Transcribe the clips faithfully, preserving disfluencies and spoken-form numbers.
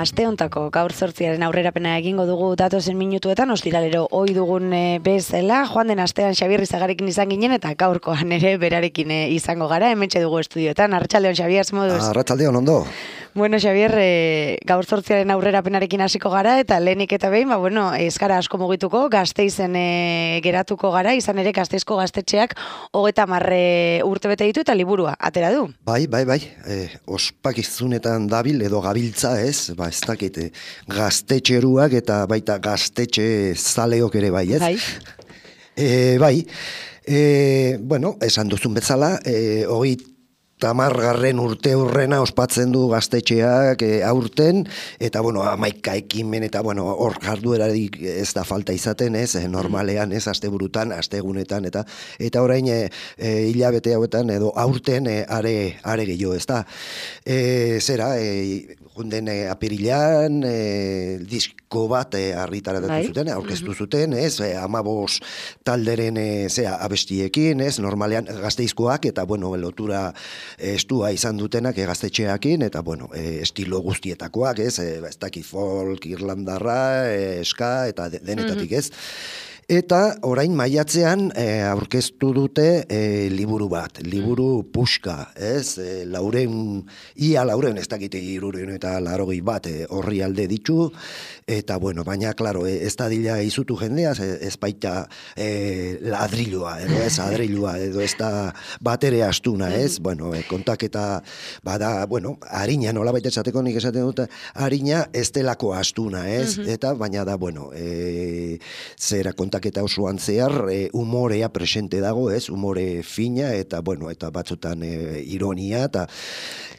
Aste hontako gaur zortziaren aurrerapena egingo dugu datozen minutuetan, ostiralero ohi dugun e, bezala, joan den astean Xabier Izagarekin izan ginen, eta gaurkoan ere berarekin e, izango gara, hementxe dugu estudioetan. Arratsaldeon, Xabier, moduz? Arratsaldeon, ondo. Bueno, Xabier, e, gaur zortziaren aurrerapenarekin hasiko gara, eta lehenik eta behin, ba, bueno, ez gara asko mugituko, Gasteizen e, geratuko gara, izan ere Gasteizko gaztetxeak hogeita marre urte bete ditu eta liburua atera du. Bai, bai, bai, e, ospakizunetan dabil edo gabiltza ez, ba, ez dakit, e, gaztetxeruak eta baita gaztetxe zaleok ere bai, ez? Bai. E, bai, e, bueno, esan duzun bezala, e, hogei tamargarren urte hurrena ospatzen du gaztetxeak e, aurten, eta bueno, hamaika ekimen, eta bueno, hor jarduerarik ez da falta izaten, ez, e, normalean, ez, asteburutan, astegunetan, eta eta orain e, e, hilabete hauetan edo aurten e, are, are gehiago, ez da. E, zera, e, junden e, apirilan, e, disko bat e, argitaratatu zuten, aurkeztu zuten, ez, e, amabos talderen e, zera, abestiekin, ez, normalean Gasteizkoak, eta bueno, lotura estua izan dutenak e, gaztetxeakin, eta bueno, e, estilo guztietakoak, ez, e, ez dakit folk, irlandarra, e, ska, eta de, denetatik, ez. Eta orain maiatzean e, aurkeztu dute e, liburu bat, liburu puska, ez? E, lauren, ia lauren, ez dakite iruren eta larogei bat e, horri alde ditu, eta bueno, baina, klaro, e, ez da dila izutu jendea, ez baita e, ladrilloa, edo ez adrilloa, edo ez da batere astuna, ez? Bueno, e, kontaketa, bada, bueno, harina, nola baita esateko nik esaten dut, harina ez delako astuna, ez? Eta, baina da, bueno, e, zera kontaketa eta osoan zehar e, umorea presente dago, ez, umore fina eta bueno, eta batzutan e, ironia eta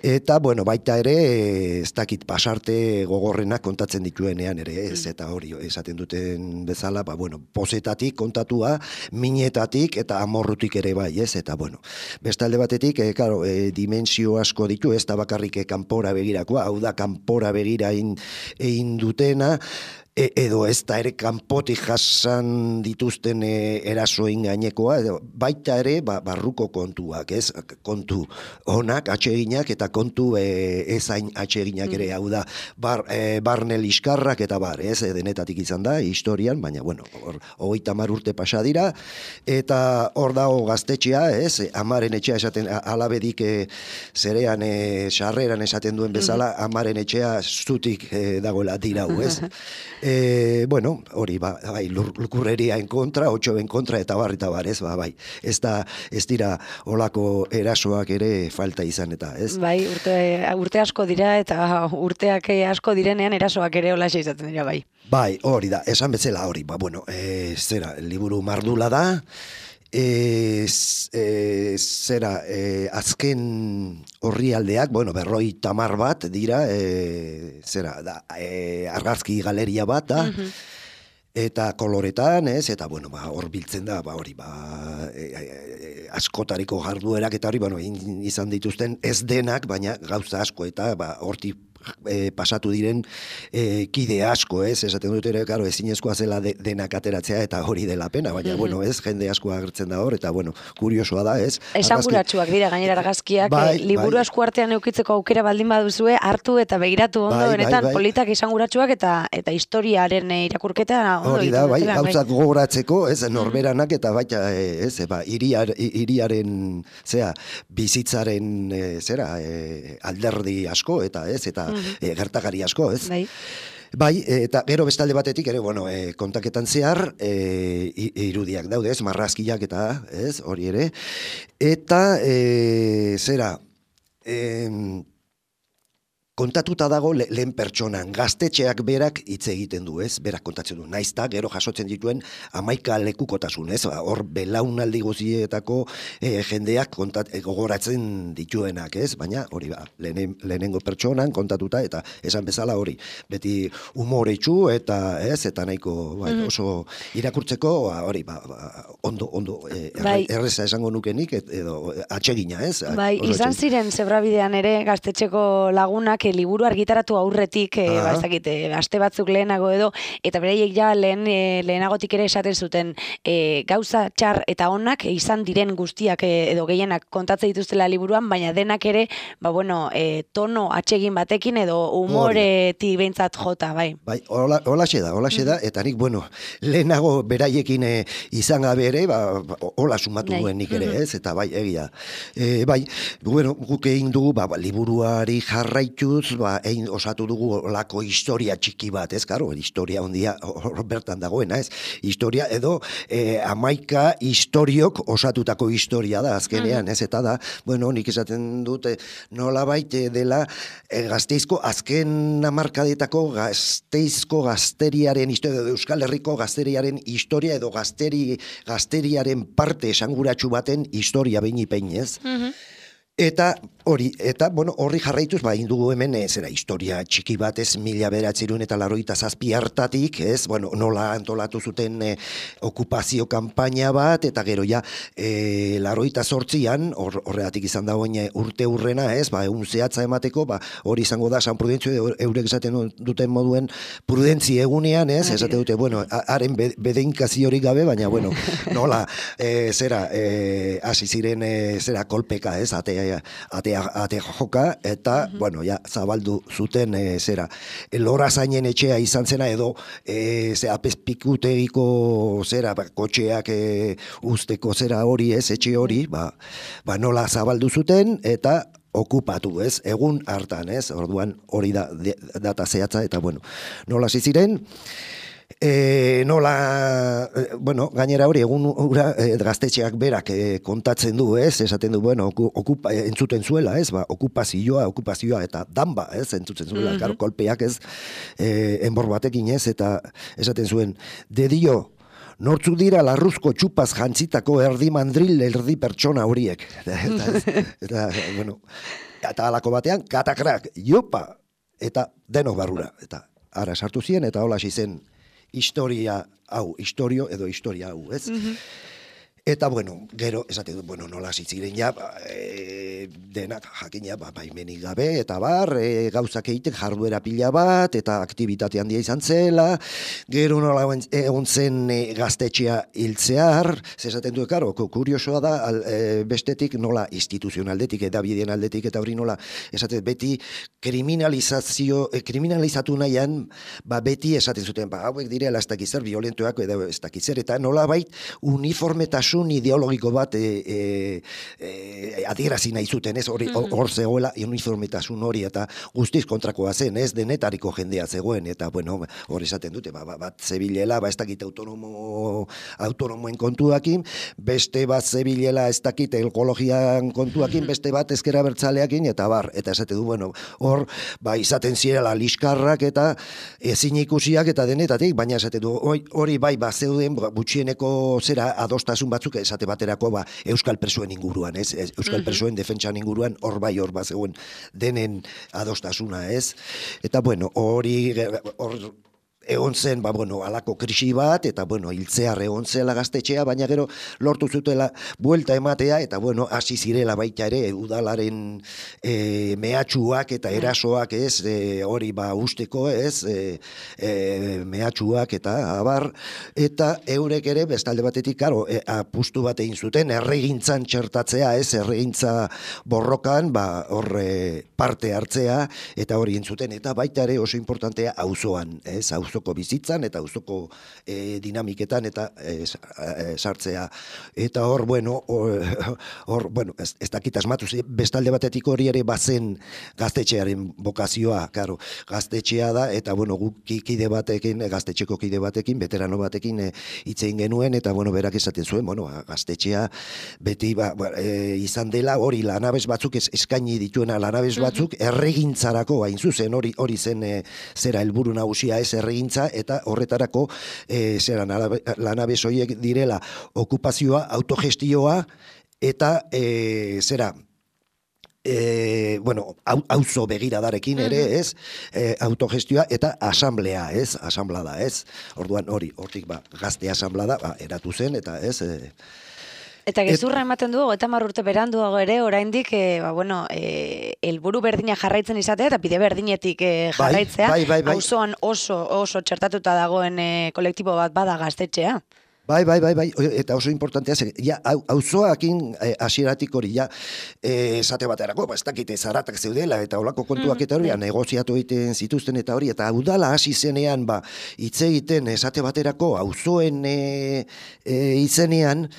eta bueno, baita ere e, ez dakit pasarte gogorrenak kontatzen dituenean ere, ez, eta hori esaten duten bezala, ba bueno, pozetatik kontatua, minetatik eta amorrutik ere bai, ez, eta bueno, bestalde batetik, e, claro, e, dimensio asko ditu, ez da bakarrik e, kanpora begirakoa, hau da kanpora begira egin egin dutena, E, edo ez da ere kanpotik jasan dituzten e, erasoen gainekoa, edo baita ere ba, barruko kontuak, ez, kontu onak, atseginak eta kontu e, ezain atseginak ere, hau da, bar, e, barne liskarrak eta bar, ez, e, denetatik izan da, historian, baina, bueno, hor, hogeita hamar urte pasa dira, eta hor dago gaztetxea, ez, amaren etxea esaten, alabedik e, zerean, e, sarreran esaten duen bezala, amaren etxea zutik e, dagoela dirau, ez, E, bueno, hori, ba, bai, lukurreria en kontra, otxo en kontra, eta bar, eta bar, ez, ba, bai, ez da, ez dira olako erasoak ere falta izan, eta, ez? Bai, urte, urte asko dira, eta urteak asko direnean erasoak ere olaxe izaten dira, bai. Bai, hori da, esan bezala hori, ba, bueno, e, zera, liburu mardula da, E, e, zera, e, azken horri aldeak, bueno, berroi tamar bat dira, e, zera, da, e, argazki galeria bat da, eta koloretan, ez, eta, bueno, ba, hor biltzen da, ba, hori, ba, e, e, askotariko jarduerak, eta hori, bueno, izan dituzten ez denak, baina gauza asko, eta, ba, horti E, pasatu diren e, kide asko, ez, esaten dut ere, karo, ezinezkoa zela de, denak ateratzea eta hori dela pena, baina, mm-hmm. bueno, ez, jende asko agertzen da hor, eta, bueno, kuriosoa da, ez. Esanguratsuak dira, gainera argazkiak, bai, e, liburu bai. Esku artean eukitzeko aukera baldin baduzue, hartu eta begiratu ondo, bai, benetan, bai, bai. Politak esanguratsuak eta eta historiaren irakurketa ondo hori da, bai, gauzak bai. Gogoratzeko, ez, norberanak eta baita, ez, ba, iriar, iriaren, zera, bizitzaren, e, zera, e, alderdi asko, eta, ez, eta E, gertakari asko, ez? Bai. Bai, eta gero bestalde batetik ere, bueno, e, kontaketan zehar, e, irudiak daude, ez, marrazkiak eta, ez, hori ere, eta, e, zera, e, kontatuta dago le, lehen pertsonan, gaztetxeak berak hitz egiten du, ez? Berak kontatzen du. Naizta gero jasotzen dituen hamaika lekukotasun, ez? Hor belaunaldi guztietako e, jendeak kontat, e, gogoratzen dituenak, ez? Baina hori ba, lehen, lehenengo pertsonan kontatuta eta esan bezala hori. Beti umoretsu eta ez eta nahiko bai, oso irakurtzeko ba, hori ba, ba, ondo ondo e, bai. erreza esango nukenik et, edo atsegina, ez? Bai, oso izan atsegina. ziren zebrabidean ere gaztetxeko lagunak liburu argitaratu aurretik, e, ba, ez dakit, e, aste batzuk lehenago edo, eta beraiek ja lehen, e, lehenagotik ere esaten zuten e, gauza txar eta onak izan diren guztiak e, edo gehienak kontatzen dituztela liburuan, baina denak ere, ba bueno, e, tono atsegin batekin edo umoretik behintzat jota, bai. Bai, hola, holaxe da, holaxe da, eta nik, bueno, lehenago beraiekin e, izan gabe ere, ba, hola sumatu duen nik ere, ez, eta bai, egia. E, bai, bueno, guk egin dugu, ba, liburuari jarraitu ba, egin osatu dugu olako historia txiki bat, ez, karo, historia ondia hor bertan dagoena, ez, historia edo e, amaika historiok osatutako historia da, azkenean, ez, eta da, bueno, nik esaten dute nola baite dela e, Gasteizko azken hamarkadetako Gasteizko gazteriaren historia, edo Euskal Herriko gazteriaren historia edo gazteri, gazteriaren parte esanguratsu baten historia behin ipein, ez? Eta hori, eta bueno, horri jarraituz, ba, indugu hemen, ez, era, historia txiki bat, ez, mila beratzerun eta laroita zazpi hartatik, ez, bueno, nola antolatu zuten e, okupazio kanpaina bat, eta gero ja, e, laroita zortzian, hor, horregatik izan da oin urte urrena, ez, ba, egun zehatza emateko, ba, hori izango da, San Prudentzio, eurek esaten duten moduen prudentzi egunean, ez, esate dute, bueno, haren bedeinkazio hori gabe, baina, bueno, nola, e, zera, e, hasi ziren, e, zera, kolpeka, ez, ate Ate, ate joka, eta, uh-huh. bueno, ja, zabaldu zuten, e, zera, lora zainen etxea izan zena, edo, e, ze, apezpikutegiko, zera, ba, kotxeak e, usteko zera hori, ez, etxe hori, ba, ba, nola zabaldu zuten, eta okupatu, ez, egun hartan, ez, orduan hori da, de, data zehatza, eta, bueno, nola ziren, E, nola, e, bueno, gainera hori egun ura e, gaztetxeak berak e, kontatzen du, ez, esaten du, bueno, okupa, entzuten zuela, ez, ba, okupazioa, okupazioa, eta danba, ez, entzuten zuela, mm-hmm. Karo, kolpeak, ez, e, enbor batekin, ez, eta esaten zuen, dedio, nortzuk dira larruzko txupaz jantzitako erdi mandril, erdi pertsona horiek, eta, eta, eta bueno, eta alako batean, katakrak, jopa, eta denok barrura, eta ara sartu ziren, eta hola zen, historia hau, historio edo historia hau, ez? Mm-hmm. Eta, bueno, gero, esate du, bueno, nola zitziren ja, ba, e, denak jakina, ba, baimenik gabe, eta bar, e, gauzak egiten jarduera pila bat, eta aktibitate handia izan zela, gero nola egon zen e, gaztetxea hiltzear, zesaten du, karo, kuriosoa da, al, e, bestetik nola instituzionaldetik, edabideen aldetik, eta hori nola, esaten beti kriminalizazio, e, kriminalizatu nahian, ba, beti esaten zuten, ba, hauek direla ez dakizzer, violentoak, edo ez dakizzer, eta nola bait, uniformetasun ideologiko bat e, e, e, adierazi nahi zuten, ez, hori hor mm-hmm. zegoela uniformetasun hori, eta guztiz kontrakoa zen, ez, denetariko jendea zegoen, eta, bueno, hori esaten dute, ba, bat zebilela, ba, ez dakit autonomo, autonomoen kontuakin, beste bat zebilela, ez dakit ekologian kontuakin, beste bat ezkera bertzaleakin, eta bar, eta esate du, bueno, hor, ba, izaten zirela liskarrak, eta ezin ikusiak, eta denetatik, baina esate du, hori bai, ba, zeuden, gutxieneko zera adostasun batzuk esate baterako ba, Euskal Presoen inguruan, ez? Euskal mm-hmm. Presoen defentsan inguruan hor bai hor bat zegoen denen adostasuna, ez? Eta bueno, hori hor egon zen, ba, bueno, alako krisi bat, eta, bueno, hiltzear egon zela gaztetxea, baina gero lortu zutela buelta ematea, eta, bueno, hasi zirela baita ere, udalaren e, mehatxuak eta erasoak, ez, e, hori, ba, usteko, ez, e, e, mehatxuak eta abar, eta eurek ere, bestalde batetik, karo, e, apustu bat egin zuten, erregintzan txertatzea, ez, erregintza borrokan, ba, hor e, parte hartzea, eta hori entzuten, eta baita ere oso importantea auzoan, ez, auzoan auzoko bizitzan eta auzoko e, dinamiketan eta e, sartzea. Eta hor, bueno, hor, hor bueno, ez, ez dakit asmatu, bestalde batetik hori ere bazen gaztetxearen bokazioa, karo, gaztetxea da, eta bueno, guk kide batekin, gaztetxeko kide batekin, veterano batekin e, itzein genuen, eta bueno, berak esaten zuen, bueno, gaztetxea beti ba, ba, e, izan dela hori lanabes batzuk ez, eskaini dituena lanabes batzuk erregintzarako hain zuzen hori hori zen e, zera helburu nagusia ez erregintza eta horretarako e, zera lanabes horiek direla okupazioa, autogestioa eta e, zera E, bueno, auzo begiradarekin ere, ez, e, autogestioa eta asamblea, ez, asamblada, ez, orduan hori, hortik ba, gazte asamblada, ba, eratu zen, eta ez, e, Eta gezurra ematen du, eta marrurte beranduago ere, oraindik, e, ba, bueno, e, helburu berdina jarraitzen izatea, eta bide berdinetik e, jarraitzea, bai, bai, bai, bai. auzoan oso, oso txertatuta dagoen e, kolektibo bat bada gaztetxea. Bai, bai, bai, bai, eta oso importantea zen, ja, auzoakin eh, hasieratik hori, ja, eh, esate baterako, ba, ez dakite zaratak zeudela, eta olako kontuak eta hori, mm, negoziatu egiten zituzten eta hori, eta udala hasi zenean, ba, hitz egiten esate baterako, auzoen e, e, izenean,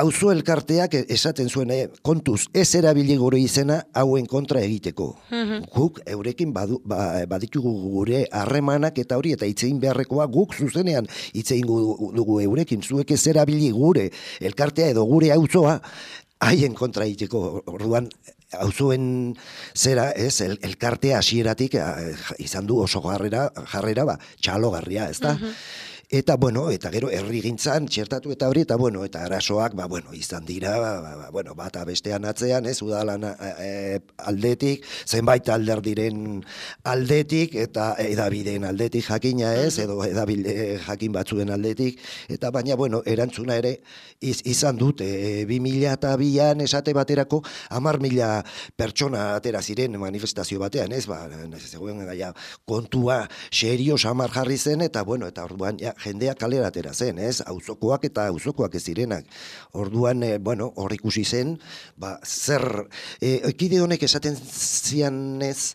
auzo elkarteak esaten zuen, eh, kontuz, ez erabili gure izena hauen kontra egiteko. Mm-hmm. Guk eurekin badu, ba, baditugu gure harremanak eta hori, eta hitzein beharrekoa guk zuzenean hitzein dugu eurekin, zuek ez erabili gure elkartea edo gure auzoa haien kontra egiteko. Orduan, auzoen zera, ez, el, elkartea hasieratik izan du oso jarrera, jarrera ba, txalogarria, ez da? Mm-hmm. Eta, bueno, eta gero herrigintzan txertatu eta hori, eta, bueno, eta arazoak, ba, bueno, izan dira, ba, ba, bueno, bata bestean atzean, ez, udalan e, aldetik, zenbait alderdiren aldetik, eta edabideen aldetik jakina ez, edo edabide jakin batzuen aldetik, eta baina, bueno, erantzuna ere iz, izan dute, e, bi mila eta bian esate baterako, hamar mila pertsona atera ziren manifestazio batean, ez, ba, zegoen gaia, kontua serioz hamar jarri zen, eta, bueno, eta orduan, ja, jendea kalera atera zen, ez? Auzokoak eta auzokoak ez zirenak. Orduan, e, bueno, hor ikusi zen, ba, zer, e, ekide honek esaten zianez,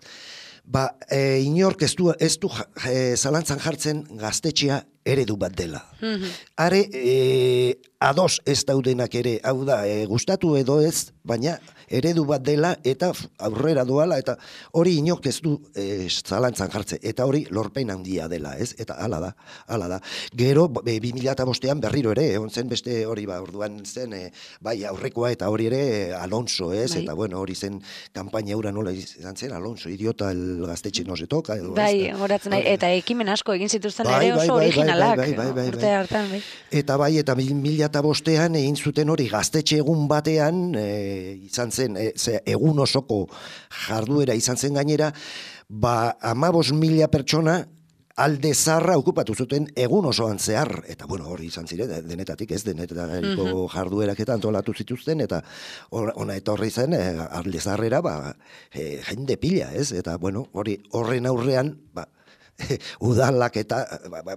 ba, e, inork ez du, ez du e, zalantzan jartzen gaztetxea eredu bat dela. Mm-hmm. Are, e, ados ez daudenak ere, hau da, e, gustatu edo ez, baina eredu bat dela eta aurrera doala, eta hori inok ez du e, zalantzan jartze, eta hori lorpen handia dela, ez? Eta hala da, hala da. Gero, e, bi mila eta bostean berriro ere, egon zen beste hori, ba, orduan zen, e, bai, aurrekoa eta hori ere Alonso, ez? Bai. Eta, bueno, hori zen kanpaina eura nola izan zen, Alonso, idiota el gaztetxe no se toca, edo, bai, horatzen nahi, eta ekimen asko egin zituzten bai, ere oso bai, originalak, bai, bai, bai, bai, urte hartan, bai. Eta bai, eta mila eta bostean egin zuten hori gaztetxe egun batean, e, izan zen, e, ze, egun osoko jarduera izan zen gainera, ba, amabos mila pertsona alde zarra okupatu zuten egun osoan zehar, eta bueno, hori izan ziren, denetatik ez, denetariko mm-hmm. jarduerak eta antolatu zituzten, eta ona etorri zen, e, alde zarrera, ba, e, jende pila, ez, eta bueno, hori horren aurrean, ba, udalak eta ba, ba,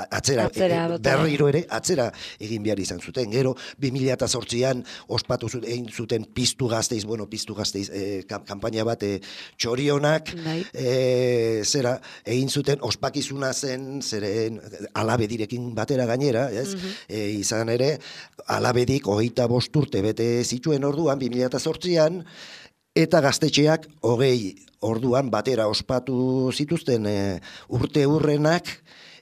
atzera, atzera e, berriro ere atzera egin behar izan zuten. Gero bi mila eta zortzian ospatu zuten, egin zuten piztu gazteiz, bueno, piztu gazteiz e, kanpaina bat e, txorionak e, zera egin zuten ospakizuna zen zeren alabedirekin batera gainera, ez? Mm-hmm. E, izan ere alabedik hogeita bost urte bete zituen orduan bi mila eta zortzian, eta gaztetxeak hogei orduan batera ospatu zituzten e, urte hurrenak,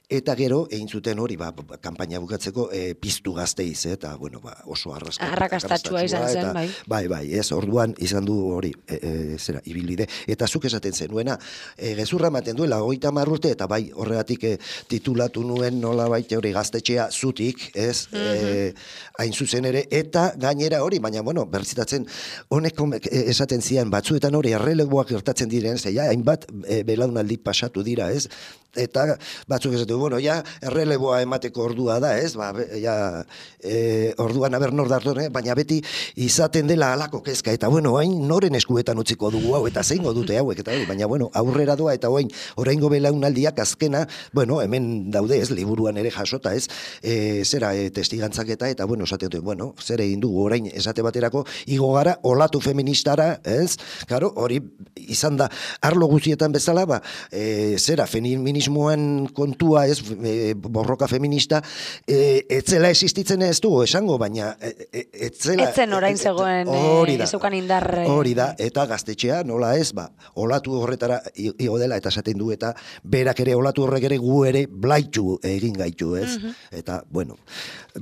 eta gero egin zuten hori, ba, kanpaina bukatzeko e, piztu gazteiz, eta bueno, ba, oso arrakastatxua izan zen, bai. Bai, bai, ez, orduan izan du hori, e, e, zera, ibilbide. Eta zuk esaten zenuena, e, gezurra ematen duela, hogeita hamar urte, eta bai, horregatik e, titulatu nuen nola baita hori gaztetxea zutik, ez, mm-hmm. e, hain zuzen ere, eta gainera hori, baina, bueno, berzitatzen, honek esaten zian, batzuetan hori, erreleguak gertatzen diren, zeia, hainbat e, belaunaldi pasatu dira, ez, eta batzuk esaten, du, bueno, ja, erreleboa emateko ordua da, ez, ba, ja, e, orduan aber nor dartone, baina beti izaten dela halako kezka, eta bueno, hain noren eskuetan utziko dugu hau, eta zeingo dute hauek, eta hori, baina bueno, aurrera doa, eta orain oraingo belaunaldiak azkena, bueno, hemen daude, ez, liburuan ere jasota, ez, e, zera, e, testigantzaketa, eta bueno, esate dute, bueno, zer egin dugu, orain esate baterako, igo gara, olatu feministara, ez, claro, hori izan da, arlo guztietan bezala, ba, e, zera, feminismoan kontua, ez, e, borroka feminista, e, etzela existitzen ez dugu, esango, baina e, e, etzela... Etzen orain zegoen, e, ezukan indar... Hori da, eta gaztetxea, nola ez, ba, olatu horretara igo dela, eta esaten du, eta berak ere, olatu horrek ere gu ere blaitu egin gaitu, ez? Uh-huh. Eta, bueno,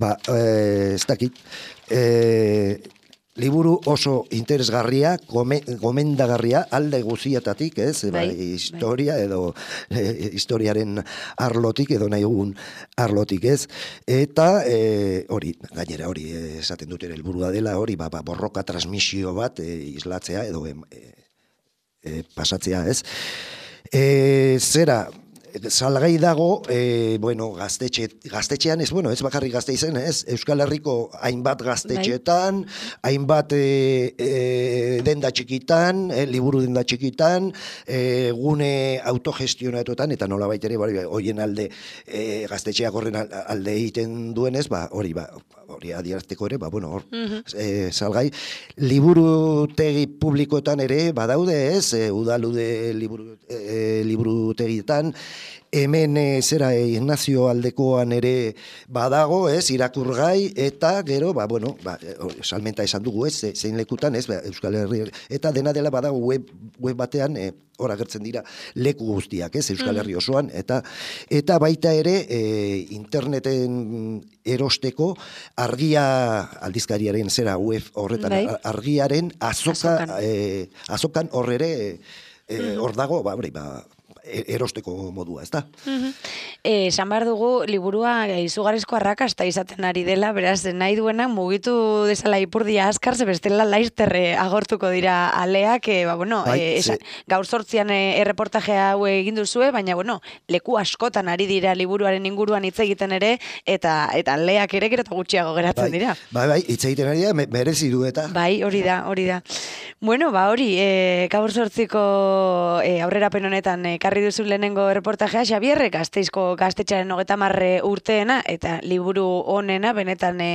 ba, e, ez dakit, e, liburu oso interesgarria, gomendagarria, alde guzietatik, ez? Bai, ba, historia bai. edo e, historiaren arlotik, edo nahi egun arlotik, ez? Eta e, hori, gainera hori esaten dut ere helburua dela, hori, ba, ba, borroka transmisio bat e, islatzea, edo e, e, pasatzea, ez? E, zera, salgai dago, e, bueno, gaztetxe, gaztetxean, ez, bueno, ez bakarrik gazte izen, ez, Euskal Herriko hainbat gaztetxetan, hainbat e, e, denda txikitan, e, liburu denda txikitan, e, gune autogestionatuetan, eta nola baitere, bari, hoien alde, e, gaztetxeak horren alde egiten duenez, ba, hori, ba, hori adierazteko ere, ba, bueno, hor, uh-huh. e, salgai, liburutegi publikoetan ere, badaude, ez, e, udalude liburu, e, liburutegietan, hemen e, zera e, Ignazio Aldekoan ere badago, ez, irakurgai, eta gero, ba, bueno, ba, salmenta esan dugu, ez, zein lekutan, ez, ba, Euskal Herri, eta dena dela badago web, web batean, e, hor agertzen dira leku guztiak, ez, Euskal Herri osoan, eta eta baita ere e, interneten erosteko argia aldizkariaren zera web horretan, bai. Argiaren azoka, azokan, e, azokan hor ere e, hor dago, ba, ba, erosteko modua, ez da? Uh-huh. Eh, esan behar dugu, liburua izugarrizko arrakasta izaten ari dela, beraz, nahi duenak mugitu desala ipurdia askar, ze bestela laizterre agortuko dira aleak, e, ba, bueno, bai, e, esa, gaur sortzian e, erreportajea hau egin duzue, baina, bueno, leku askotan ari dira liburuaren inguruan hitz egiten ere, eta eta aleak ere gero eta gutxiago geratzen bai, dira. Bai, bai, hitz egiten ari da, merezi du eta. Bai, hori da, hori da. Bueno, ba, hori, e, gaur sortziko e, aurrerapen honetan e, karri duzu lehenengo reportajea, Xabierre, Gasteizko gaztetxearen hogeta marre urteena, eta liburu honena, benetan e,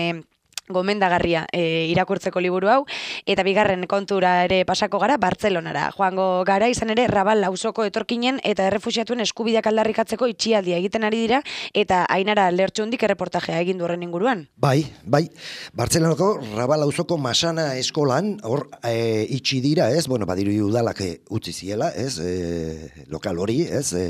gomendagarria e, irakurtzeko liburu hau, eta bigarren kontura ere pasako gara, Bartzelonara. Joango gara, izan ere, Rabal auzoko etorkinen eta errefuxiatuen eskubideak aldarrikatzeko itxialdia egiten ari dira, eta Ainara Lertxundik erreportajea egin du horren inguruan. Bai, bai, Bartzelonako Rabal auzoko Masana eskolan, hor e, itxi dira, ez, bueno, badiru udalak utzi ziela, ez, e, lokal hori, ez, e,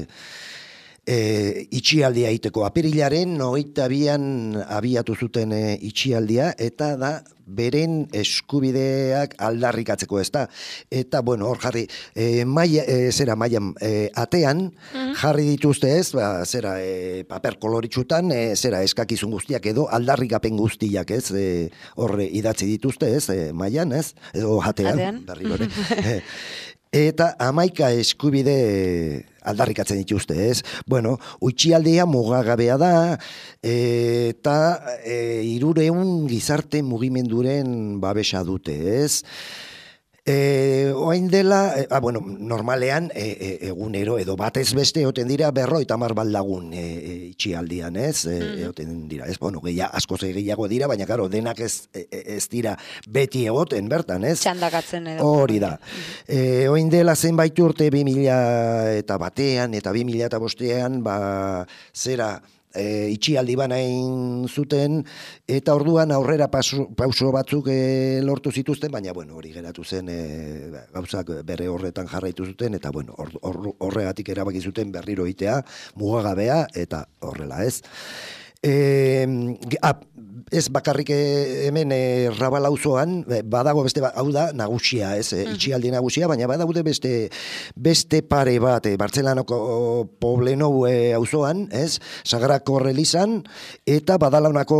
E, itxialdia egiteko apirilaren hogeita bian abiatu zuten e, itxialdia, eta da beren eskubideak aldarrikatzeko, ez da. Eta, bueno, hor jarri, e, maia, e, zera maian e, atean, mm-hmm. jarri dituzte ez, ba, zera e, paper koloritxutan, e, zera eskakizun guztiak edo aldarrikapen guztiak, ez, e, hor idatzi dituzte, ez, e, maian, ez, edo atean, berri gore. e, Eta hamaika eskubide aldarrikatzen dituzte, ez? Bueno, utxialdea mugagabea da, eta e, hirureun gizarte mugimenduren babesa dute, ez? E, oain dela, e, ah, bueno, normalean e, e, egunero edo batez beste egoten dira berroita hamar baldagun e, e, itxialdian, ez? E, mm. Egoten dira, ez? Bueno, gehi, askoz gehiago dira, baina karo, denak ez, ez dira beti egoten bertan, ez? Txandakatzen edo. Hori da. E, oain dela zenbait urte bi mila eta batean eta bi mila eta bostean, ba, zera, E, itxialdi banain zuten, eta orduan aurrera pasu, pauso batzuk e, lortu zituzten, baina bueno, hori geratu zen e, gauzak bere horretan jarraitu zuten, eta bueno, or, or, horregatik erabaki zuten berriro itea, mugagabea, eta horrela, ez? E, a, ez bakarrik hemen e, Rabal auzoan badago beste, hau da nagusia, ez, e, itxialdi nagusia, baina badaude beste beste pare bat, e, Bartzelanoko Poblenou e, auzoan, ez, Sagrako Relizan, eta Badalaunako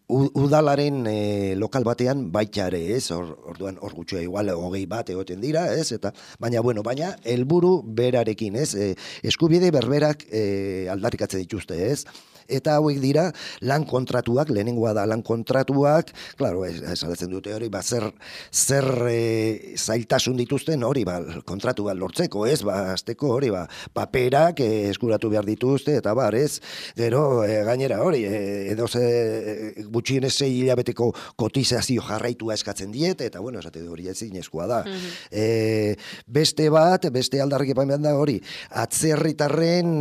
udalaren e, lokal batean baita ere, ez? Or, orduan hor gutxua igual hogei bat egoten dira, ez? Eta baina bueno, baina helburu berarekin, ez? E, eskubide berberak e, aldarrikatzen dituzte, ez? Eta hauek dira lan kontratuak, lehenengoa da lan kontratuak, claro, esalatzen dute hori, ba, zer, zer e, zailtasun dituzten hori, ba, kontratu bat lortzeko, ez, ba, azteko hori, ba, paperak e, eskuratu behar dituzte, eta bar, ez, gero, e, gainera hori, e, edo ze, e, gutxienez sei hilabeteko kotizazio jarraitua eskatzen diete, eta bueno, esate hori ezin eskua da. Mm-hmm. e, beste bat, beste aldarrik epain da hori, atzerritarren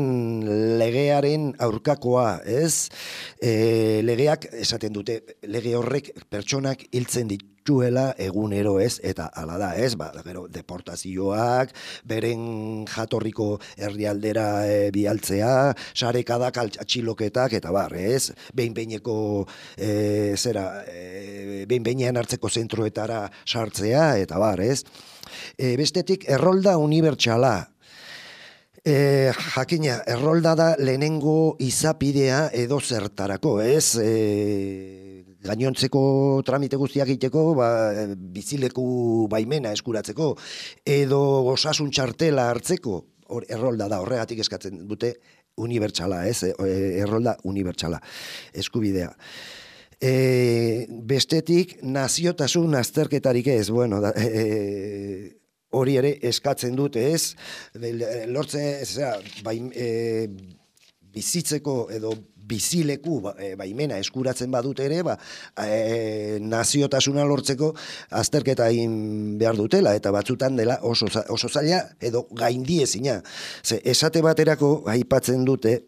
legearen aurkakoa, ez? E, legeak esaten dute, lege horrek pertsonak hiltzen dituela egunero, ez? Eta hala da, ez? Ba, gero deportazioak, beren jatorriko herrialdera e, bialtzea, sarekadak, atxiloketak, eta bar, ez? Behin-behineko e, zera, e, behin-behinean hartzeko zentroetara sartzea, eta bar, ez? E, bestetik, errolda unibertsala. E, jakina, errolda da lehenengo izapidea edo zertarako, ez? E, gainontzeko tramite guztiak egiteko, ba, bizileku baimena eskuratzeko, edo osasun txartela hartzeko, hor, errolda da, horregatik eskatzen dute unibertsala, ez? E, errolda unibertsala, eskubidea. E, bestetik, naziotasun azterketarik ez, bueno, da, e, hori ere eskatzen dute, ez? Lortzen, zera, bai, e, bizitzeko edo bizileku ba, e, baimena eskuratzen badute ere, ba, e, naziotasuna lortzeko azterketa egin behar dutela, eta batzutan dela oso, oso zaila edo gaindiezina. Ze, esate baterako aipatzen dute,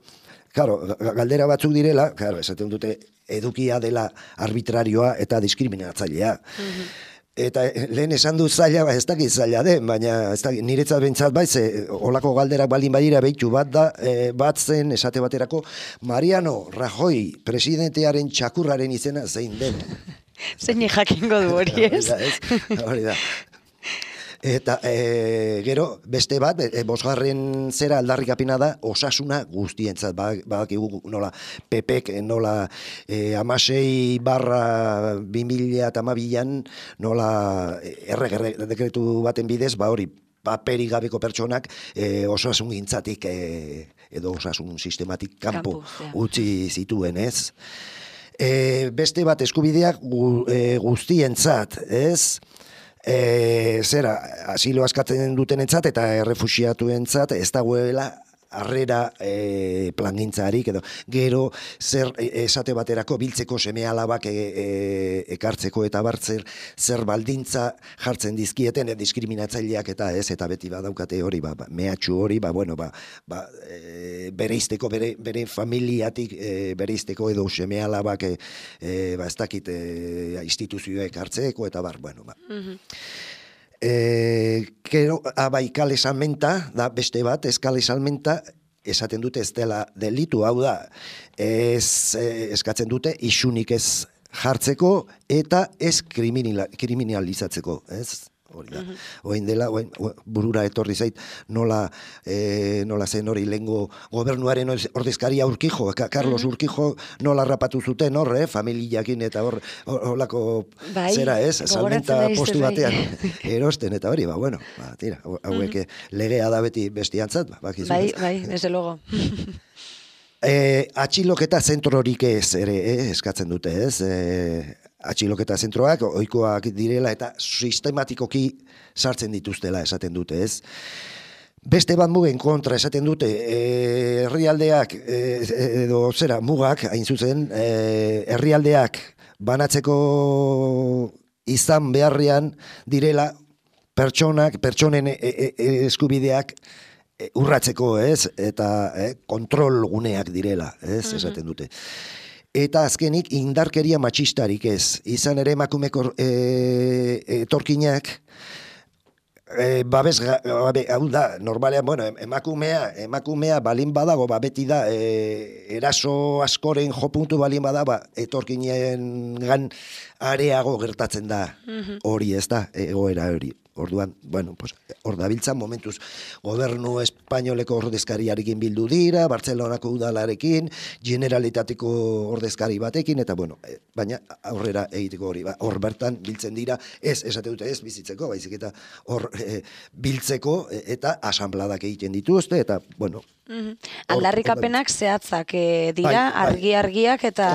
claro, galdera batzuk direla, claro, esaten dute edukia dela arbitrarioa eta diskriminatzailea. Mm-hmm. Eta lehen esan du zaila, ba, ez dakit zaila den, baina ez dakit, niretzat bentsat bai, ze olako galderak baldin badira behitu bat da, e, bat zen esate baterako, Mariano Rajoy presidentearen txakurraren izena zein den. Zein jakingo du hori, ez? Hori da. Eta e, gero, beste bat, e, bosgarren zera aldarrikapena da, osasuna guztientzat, badakigu nola pepek, nola e, amasei barra bi mila eta hamabian, nola erre dekretu baten bidez, ba hori, paperik gabeko pertsonak e, osasun gintzatik e, edo osasun sistematik kanpo utzi zituen, ez? E, beste bat eskubideak gu, e, guztientzat, ez? E, zera, asilo askatzen dutenentzat eta errefuxiatuentzat ez dagoela harrera e, plangintzarik edo gero zer esate baterako biltzeko seme alabak e, e, ekartzeko eta bartzer zer baldintza jartzen dizkieten e, diskriminatzaileak eta ez eta beti badaukate hori ba, ba mehatxu hori ba bueno ba, ba e, bereizteko bere bere familiatik e, bereizteko edo seme alabak e, e, ba ez dakit e, instituzioek hartzeko eta bar bueno ba mm-hmm. E, kero, abai kale salmenta, da beste bat, ez kale salmenta, esaten dute ez dela delitu, hau da, ez, eskatzen dute isunik ez jartzeko eta ez kriminalizatzeko, ez? Hori da. Oin dela, oin, burura etorri zait, nola, e, nola zen hori lengo gobernuaren ordezkaria Urkijo, Carlos Urkijo nola rapatu zuten hor, eh, familiakin eta hor, horlako bai, zera ez, salmenta postu batean erosten eta hori, ba, bueno, ba, tira, hauek legea da beti bestiantzat, ba, bakizu. Bai, bai, desde luego. E, atxiloketa zentrorik ez ere, eh, eskatzen dute, ez, e, atxiloketa zentroak, ohikoak direla eta sistematikoki sartzen dituztela esaten dute, ez? Beste bat mugen kontra esaten dute, e, herrialdeak, e, edo zera, mugak, hain zuzen, e, herrialdeak banatzeko izan beharrean direla pertsonak, pertsonen e, e, e, eskubideak e, urratzeko, ez? Eta e, kontrol guneak direla, ez? Esaten dute. Eta azkenik indarkeria matxistarik ez. Izan ere emakumeko e, etorkinak e, babes, babe, hau da, normalean, bueno, emakumea, emakumea balin badago, ba, beti da, e, eraso askoren jopuntu balin bada, etorkinen gan areago gertatzen da hori, ez da, egoera hori. Orduan, bueno, pues, hor dabiltzan momentuz gobernu espainoleko ordezkariarekin bildu dira, Bartzelonako udalarekin, generalitateko ordezkari batekin, eta bueno, e, baina aurrera egiteko hori, ba, hor bertan biltzen dira, ez, esate dute ez bizitzeko, baizik eta hor e, biltzeko e, eta asanbladak egiten dituzte, eta bueno, Mm-hmm. Aldarrikapenak zehatzak e, dira, bai, bai. argi-argiak eta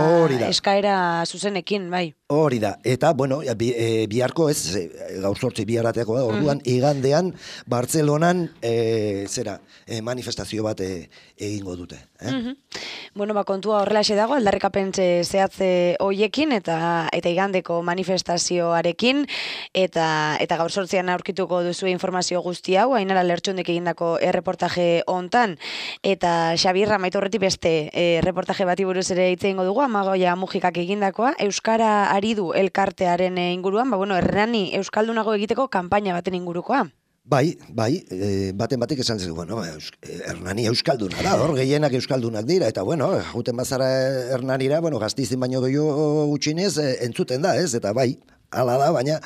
eskaera zuzenekin, bai. Hori da, eta, bueno, bi, e, biharko ez, e, gaur sortzi biharateako da, orduan, mm. igandean, Bartzelonan, e, zera, e, manifestazio bat e, egingo dute. Eh? Mm-hmm. Bueno, ba, kontua horrelaxe dago, aldarrikapen zehatze hoiekin, eta eta igandeko manifestazioarekin, eta eta gaur sortzian aurkituko duzu informazio guzti hau, Ainara Lertxundek egindako erreportaje hontan, eta Xabirra maitorretik beste e, reportaje bati buruz ere hitz egingo dugu, Amagoia Mujikak egindakoa, Euskara Aridu elkartearen inguruan, ba, bueno, Hernani euskaldunago egiteko kanpaina baten ingurukoa. Bai, bai, e, baten batik esan zen, bueno, Hernani euskalduna da, hor gehienak euskaldunak dira, eta bueno, juten bazara Hernanira, bueno, Gastizin baino gehiago gutxinez, e, entzuten da, ez, eta bai, hala da, baina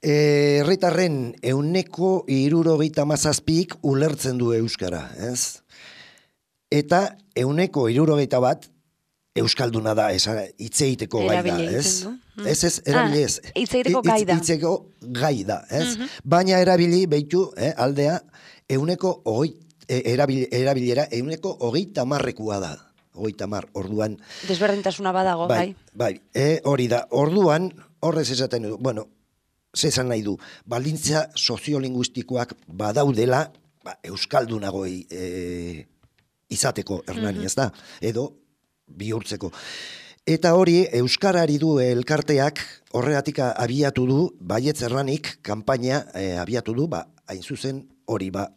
herritarren e, euneko hirurogeita hamazazpik ulertzen du euskara, ez? Eta euneko hirurogeita bat euskalduna da, hitzeiteko gai da, ez? Ez, ez, erabili ez. Ah, hitzeiteko gai da. Hitzeiteko gai da, ez? Mm-hmm. Baina erabili, behitu, eh, aldea, euneko hogei, erabil, erabilera, euneko hogeita marrekua da. Hogeita mar, orduan. Desberdintasuna badago, bai. Bai, bai, hori da. Orduan, horrez esaten du, bueno, zezan nahi du, baldintza soziolinguistikoak badaudela, ba, euskaldunago e, izateko Hernani, mm-hmm. ez da? Edo, bihurtzeko. Eta hori, Euskarari du elkarteak horregatik abiatu du, baietz Hernanik kanpaina e, abiatu du, ba, hain zuzen hori, ba,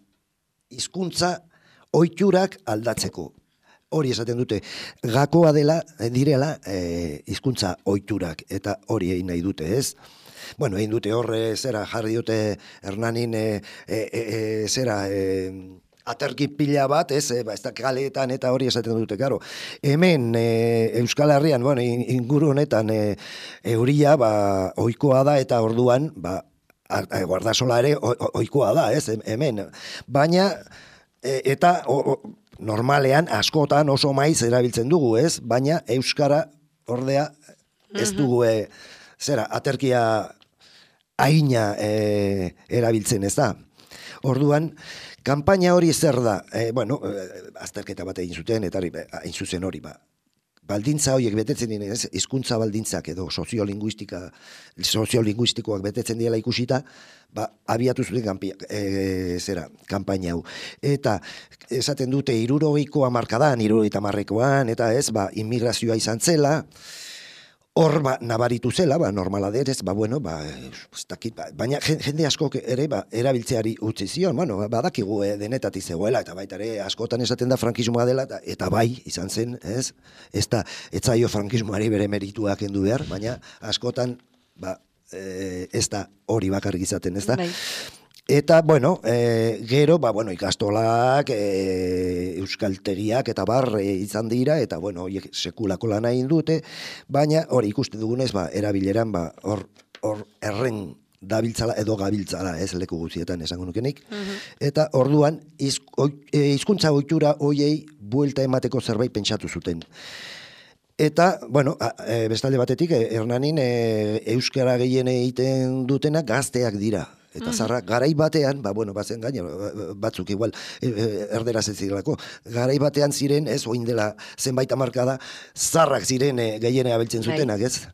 hizkuntza ohiturak aldatzeko. Hori esaten dute, gakoa dela, direla, e, hizkuntza ohiturak, eta hori egin nahi dute, ez? Bueno, egin dute horre, zera, jarri dute Hernanin, e, e, e, zera, e, aterki pila bat, ez, ba, ez da kaleetan eta hori esaten dute, karo. Hemen, e, Euskal Herrian, bueno, inguru honetan, e, euria, ba, ohikoa da, eta orduan, ba, guardasola ere ohikoa da, ez, hemen. Baina, e, eta o, o, normalean, askotan oso maiz erabiltzen dugu, ez, baina Euskara, ordea, ez dugu, e, zera, aterkia aina e, erabiltzen, ez da. Orduan, kanpaina hori zer da, e, bueno, e, azterketa bat egin zuten, eta hain zuzen hori, ba, baldintza horiek betetzen dira, ez, hizkuntza baldintzak edo soziolinguistika, soziolinguistikoak betetzen dira ikusita, ba, abiatu zuten kanpi, e, zera, kanpaina hau. Eta, esaten dute, hirurogeiko hamarkadan, hirurogeita hamarrekoan, eta ez, ba, immigrazioa izan zela, hor, ba, nabaritu zela, ba, normala derez, ba, bueno, ba, ez dakit, ba, baina jende askok ere, ba, erabiltzeari utzi zion, bueno, badakigu eh, denetatik zegoela, eta baita ere, askotan esaten da frankismoa dela, eta, eta bai, izan zen, ez? Ez da, etzaio frankismoari bere merituak kendu behar, baina askotan, ba, eh, ez da hori bakarrik izaten, ez da? Bai. Eta, bueno, e, gero, ba, bueno, ikastolak, e, euskaltegiak eta bar e, izan dira, eta, bueno, horiek sekulako lana egin dute, baina hori ikuste dugunez, ba, erabileran, ba, hor, hor erren dabiltzala edo gabiltzala, ez, leku guztietan esango nukenik, uh-huh. Eta orduan, hizkuntza ohitura hoiei buelta emateko zerbait pentsatu zuten. Eta, bueno, e, bestalde batetik, e, Hernanin e, euskara gehien egiten dutena gazteak dira. Eta zarra, garai batean, ba, bueno, bazen gaina, batzuk igual, erderaz ez zirelako, garai batean ziren, ez, oin dela zenbait hamarkada, zarrak ziren e, gehiene abiltzen zutenak, ez?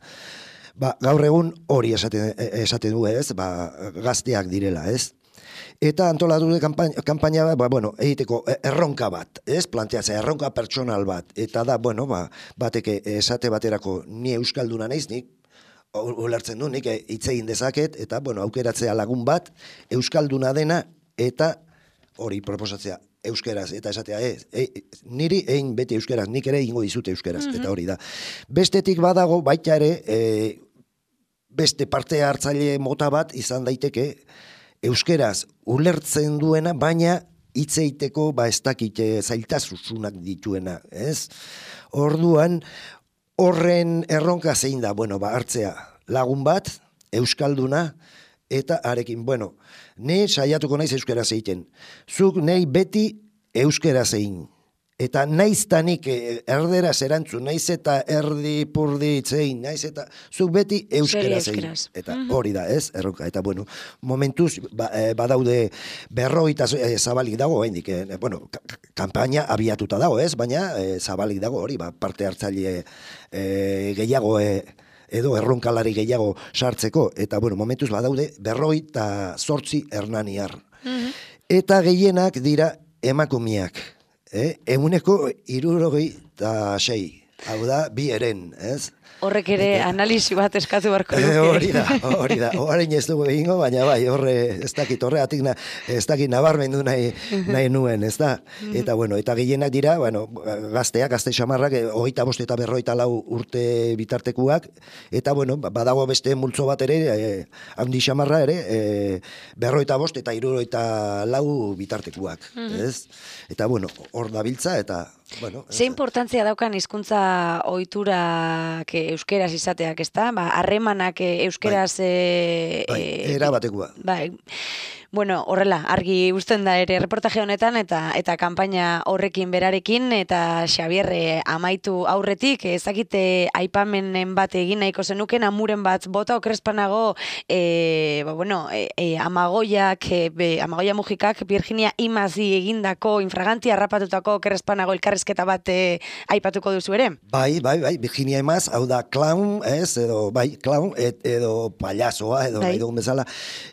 Ba, gaur egun hori esaten, esaten du, ez, ba, gazteak direla, ez? Eta antolatu de kanpaina, kanpaina ba, bueno, egiteko erronka bat, ez, planteatzea, erronka pertsonal bat, eta da, bueno, ba, bateke esate baterako ni euskalduna naiz, nik, ulertzen du, nik hitz egin dezaket, eta, bueno, aukeratzea lagun bat, euskalduna dena, eta hori proposatzea euskeraz, eta esatea, e, e, niri egin beti euskeraz, nik ere egingo dizute euskeraz, mm-hmm. Eta hori da. Bestetik badago, baita ere, e, beste parte hartzaile mota bat izan daiteke, euskeraz ulertzen duena, baina hitz egiteko, ba, ez dakite zailtasunak dituena, ez? Orduan, horren erronka zein da, bueno, ba, hartzea lagun bat, euskalduna, eta arekin, bueno, ne saiatuko naiz euskeraz egiten. Zuk nei beti euskeraz egin. Eta naiztanik erderaz erantzun, naiz eta erdi purdi itzein, naiz eta zuk beti euskeraz egin. Eta hori da, ez? Erronka. Eta bueno, momentuz ba, e, badaude berrogeita e, zabalik dago, hendik, e, bueno, kanpaina abiatuta dago, ez? Baina e, zabalik dago hori, ba, parte hartzaile e, gehiago e, edo erronkalari gehiago sartzeko. Eta bueno, momentuz badaude berrogeita zortzi hernaniar. Mm-hmm. Eta gehienak dira emakumiak. Eh, eguneko hirurogei eta sei, hau da, bi eren, ez? Horrek ere eta, analisi bat eskatu barko luke. E, hori da, hori da, orain ez dugu egingo, baina bai, horre, ez dakit, horregatik na, ez dakit nabarmendu nahi, nahi nuen, ez da? Eta bueno, eta gehienak dira, bueno, gazteak, gazte xamarrak, hogeita bost eta berroita lau urte bitartekuak, eta bueno, badago beste multzo bat ere, eh, handi xamarra ere, eh, berroita bost eta hirurogeita lau bitartekuak, ez? Eta bueno, hor dabiltza, eta bueno, ze importantzia daukan hizkuntza ohiturak euskeraz izateak, ezta? Ba, harremanak euskeraz bai, e, bai, era batekoa. Bai. Bueno, horrela, argi uzten da ere reportaje honetan eta eta kanpaina horrekin berarekin eta Xabier amaitu aurretik ezakite aipamenen bat egin nahiko zenuken amuren bat bota okrespanago eh ba bueno, e, e, Amagoiak e, Amagoia Mujikak Virginia Imazi egindako infraganti harrapatutako okrespanago elkarrizketa bat e, aipatuko duzu ere. Bai, bai, bai, Virginia Imaz, hau da clown, ez, edo bai, clown et, edo payasoa edo bai dugun bezala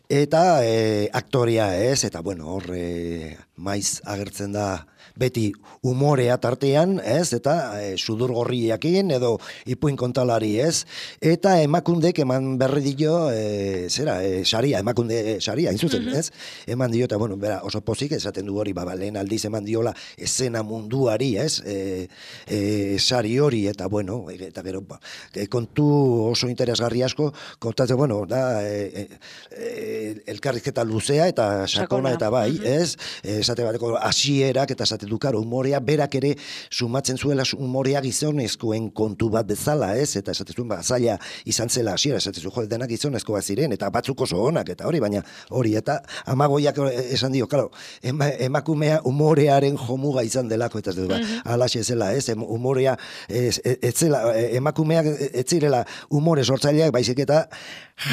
eta e, aktoria, ez, eta bueno, hor e, maiz agertzen da beti umorea tartean, ez, eta e, sudur gorriakin edo ipuin kontalari, ez, eta emakundek eman berri dio, e, zera, e, saria, emakunde saria, inzuzen, mm-hmm. ez, eman dio, eta bueno, bera, oso pozik esaten du hori, ba, lehen aldiz eman diola esena munduari, ez, e, e, sari hori, eta bueno, eta gero, ba, kontu oso interesgarri asko, kontatzen, bueno, da, e, e, elkarrizketa luzea, eta sakona, eta bai, mm-hmm. ez, esate bateko hasierak eta esate du, karo, umorea, berak ere sumatzen zuela umorea gizonezkoen kontu bat bezala, ez, eta esate zuen, ba, zaila izan zela hasiera, esate zuen, jo, denak gizonezko bat ziren, eta batzuk oso onak, eta hori, baina hori, eta Amagoiak esan dio, karo, ema, emakumea umorearen jomuga izan delako, eta ez dut, ba, mm-hmm. alaxe zela, ez, umorea, ez, ez zela, emakumeak ez zirela umore sortzaileak, baizik eta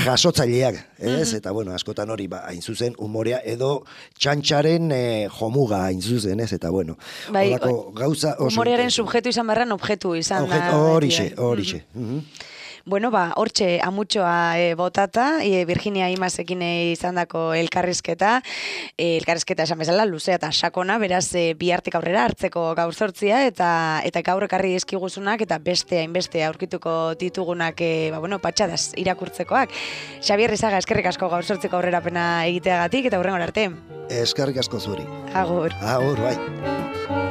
jasotzaileak, ez, mm-hmm. eta bueno, askotan hori, ba, hain zuzen, umorea edo txantxaren e, jomuga hain zuzen, ez, eta bueno, bai, horako gauza oso... Umorearen subjektu izan barran objektu izan Objet, da. Horixe, horixe. Mm-hmm. Mm-hmm. Bueno, ba, hortxe amutxoa e, botata, e, Virginia Imazekin izandako elkarrizketa, e, elkarrizketa esan bezala, luzea eta sakona, beraz e, bihartik aurrera hartzeko gaur zortzia, eta eta gaur ekarri dizkiguzunak, eta beste hainbeste aurkituko ditugunak, e, ba, bueno, patxadaz irakurtzekoak. Xabier Izaga, eskerrik asko gaur zortziko aurrerapena egiteagatik, eta hurrengora arte. Eskerrik asko zuri. Agur. Agur, bai.